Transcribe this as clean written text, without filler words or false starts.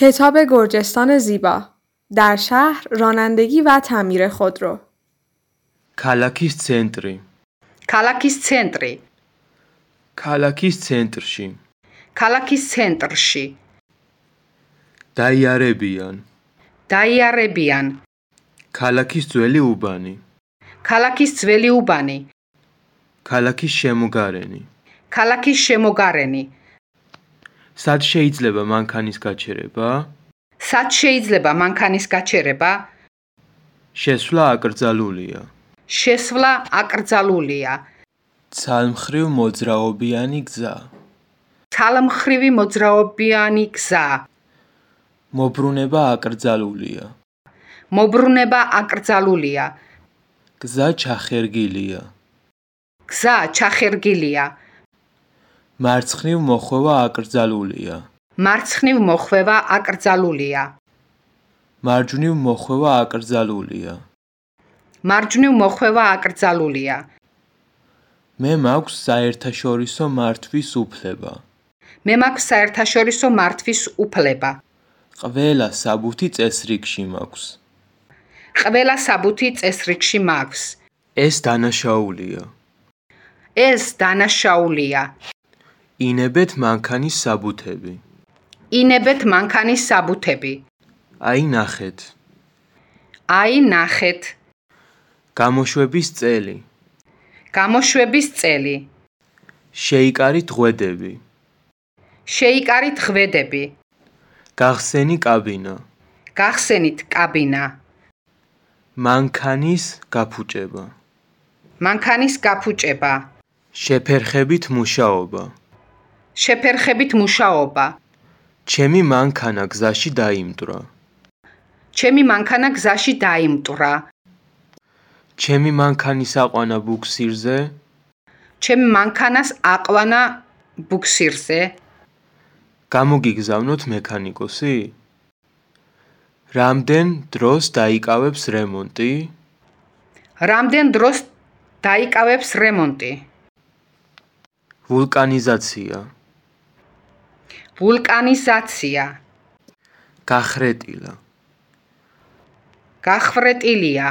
کتاب گرجستان زیبا در شهر رانندگی و تعمیر خودرو ქალაქის ცენტრი ქალაქის ცენტრი ქალაქის ცენტრში ქალაქის ცენტრში დაიარებიან ქალაქის ძველი უბანი ქალაქის ძველი უბანი ქალაქის შემოგარენი ქალაქის შემოგარენი სად შეიძლება მანქანის გაჩერება? სად შეიძლება მანქანის გაჩერება? შესვლა აკრძალულია შესვლა აკრძალულია ცალმხრივ მოძრაობიანი გზა ცალმხრივი მოძრაობიანი გზა მობრუნება აკრძალულია მობრუნება აკრძალულია გზა ჩახერგილია გზა ჩახერგილია მარცხნივ მოხვევა აკრძალულია მარცხნივ მოხვევა აკრძალულია მარჯვნივ მოხვევა აკრძალულია მარჯვნივ მოხვევა აკრძალულია მე მაქვს საერთაშორისო მართვის უფლება მე მაქვს საერთაშორისო მართვის უფლება ყველა საბუთი წესრიგში მაქვს ყველა საბუთი წესრიგში მაქვს ეს დანაშაულია ეს დანაშაულია ინებეთ მანქანის საბუთები ინებეთ მანქანის საბუთები აი ნახეთ აი ნახეთ გამოშვების წელი გამოშვების წელი შეიკარით ღვედები შეიკარით ღვედები გახსენი კაბინა გახსენით კაბინა მანქანის გაფუჭება მანქანის გაფუჭება შეფერხებით მუშაობა შეფერხებით მუშაობა ჩემი მანქანა გზაში დაიმტვრა ჩემი მანქანა გზაში დაიმტვრა ჩემი მანქანის აყვანა ბუქსირზე ჩემი მანქანას აყვანა ბუქსირზე გამოგიგზავნოთ მექანიკოსი რამდენ დროს დაიკავებს რემონტი რამდენ დროს დაიკავებს რემონტი ვულკანიზაცია ვულკანიზაცია გახრეტილა გახვრეტილია